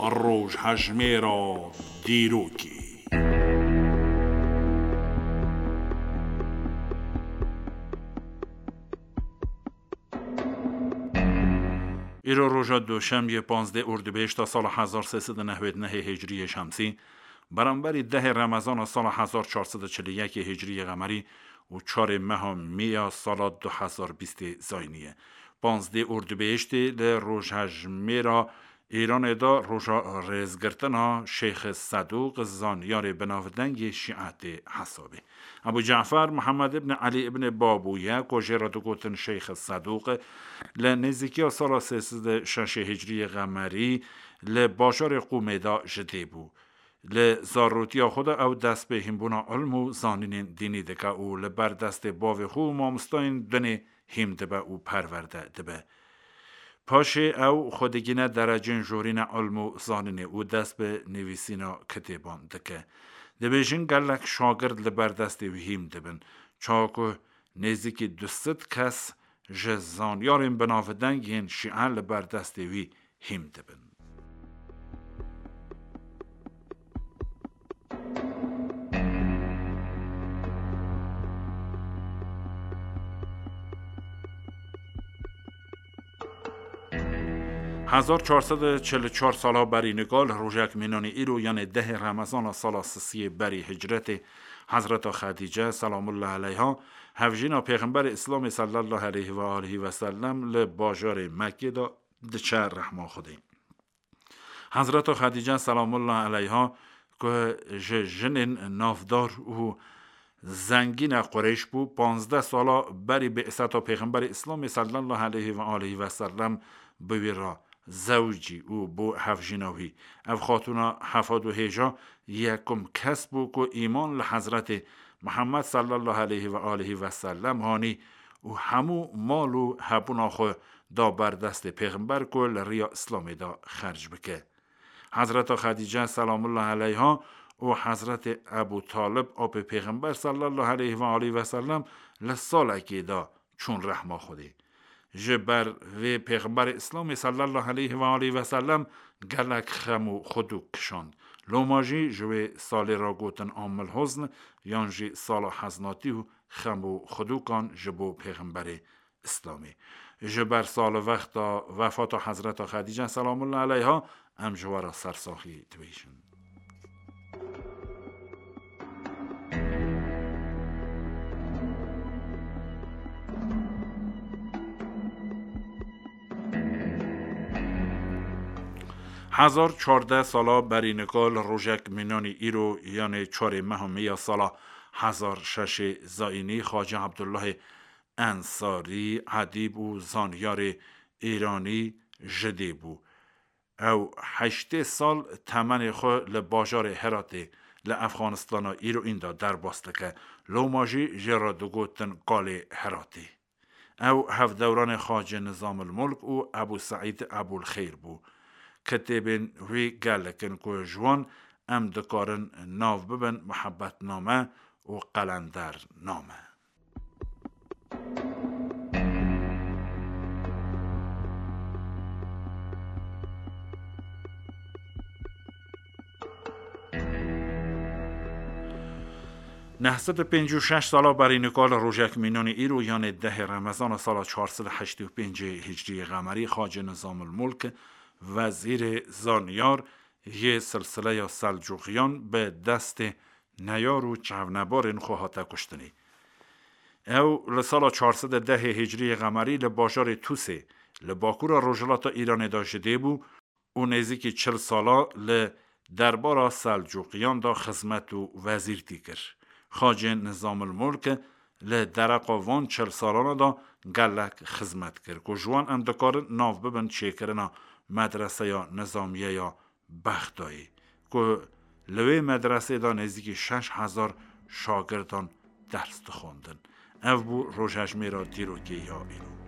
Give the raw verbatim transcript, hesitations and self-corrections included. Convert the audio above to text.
Rojhejmêra dîrokê. Îro roja doşemiyê, panzdeh Ordubehişta sala hezar sê sed û nehwed nehê Hicriyê Şemsî, beramberî dehê Remezana sala hezar çar sed û çil û yekê Hicriyê Qemerî û çarê meha Mê ya sala du hezar bîstê Zayînî ye. Panzdeh Ordubehiştê li rojhejmêra Îranê de roja rêzgirtina Şeyx Sedûq, zanyarê binavdengê Şîetê hesabê. Ebû Cafer Mihemed ibn Elî ibn Babû ye, ku jê re digotin Şeyx Sedûq, li nêzîkiya sala sê sed û şeş Hicriyê Qemerî li bajarê Qûmê de ji dê bû. Li zarotiya xwe de ew dest bi hînbûna ilm û zanînên dînî dike û li ber destê bavê xwe û mamostayên dinê hîm dibe û perwerde dibe. Paşê ew xwe digîne derecên jorîne ilm û zanînê û dest bi nivîsîna kitêban dike. Dibêjin gelek şagird li ber destê wî hîm dibin. Çawa ku nêzîkî du sed kes ji zanyarên binavdeng yên Şîe li ber destê wî hîm dibin. Hezar çar sed û çil û çar sala berî nika li rojek mînanî îro, yanê dehê Remezana sala sisiyê berî hicretê, Hezreta Xedîce selamullah eleyha, hevjîna Pêxemberê Îslamê sallallahu aleyhi ve alihi ve sellem li bajarê Mekkê de diçe rehma Xwedê. Hezreta Xedîce selamullah eleyha, ku ji jinên navdar û zengîne Qureyş bû, panzdeh sala berî bi'seta Pêxemberê Îslamê sallallahu aleyhi ve alihi ve sellem bi wî re zewicî û bû hevjîna wî. Ev xatûna hefad û hêja yekum kes bû ku îman li Hezretê Mihemed sallallahu aleyhi ve alihi ve sellem hanî û hemû mal û hebûna xwe da ber destê Pêxember ku li riya Îslamê de xerc bike. Hezreta Xedîce selamullah eleyha û Hezretê Ebû Talib, apê Pêxember sallallahu aleyhi ve aleyhi ve sellem, li salekê de çûn rehma Xwedê. Ji ber vê Pêxemberê Îslamê sallallahu aleyhi ve aleyhi ve sellem gelek xem û xwedûk kişand. Loma jî ji wê salê re gotin Amil Huzn, yan jî sala heznatî û xem û xwedûkan ji bo Pêxemberê Îslamê. Ji ber salivexta wefata Hezreta Xedîce selamullah eleyha em ji we re sersaxî dibêjin. Hezar çardeh sala berî nika li rojek mînanî îro, yanê çarê meha Mê ya sala hezar şeşê Zayînî, Xacê Ebdullahê Ensarî, edîb û zanyarê Îranî ji dê bû. Ew heştê sal temenê xwe li bajarê Heratê li Efxanistana îro înda derbas dike. Loma jî jê re digotin Kalê Heratê. Ew hevdewranê Xacê Nizamil Mulk û Ebû Seîd Ebûl Xeyr bû. Kitêbên wî gelek in ku ji wan em dikarin nav bibin Muhebbetname û Qelendername. Neh sed û pêncî û şeş sala berî nika li rojek mînanî îro, yanê dehê Remezana sala çar sed û heştê û pêncê Hicriyê Qemerî, Xacê Nizamil Mulk, wezîrê zanyar yê silsileya Selcuqiyan, bi destê neyar û çavnebarên xwe hate kuştinê. Ew li sala çar sed û dehê Hicriyê Qemerî li bajarê Tûsê, li bakûra rojhilata Îranê de ji dê bû û nêzîkî çil sala li derbara Selcuqiyan de xizmet û wezîrtî kir. Xacê Nizamil Mulk li dereqa van çil salana de gelek xizmet kir, ku ji wan em dikarin nav bibin çêkirina medreseya nizamiye ya Bexdayê, ku li wê medresê de nêzîkî şeş hezar şagirdan ders dixwandin. Ev bû rojhejmêra dîrokê ya îro.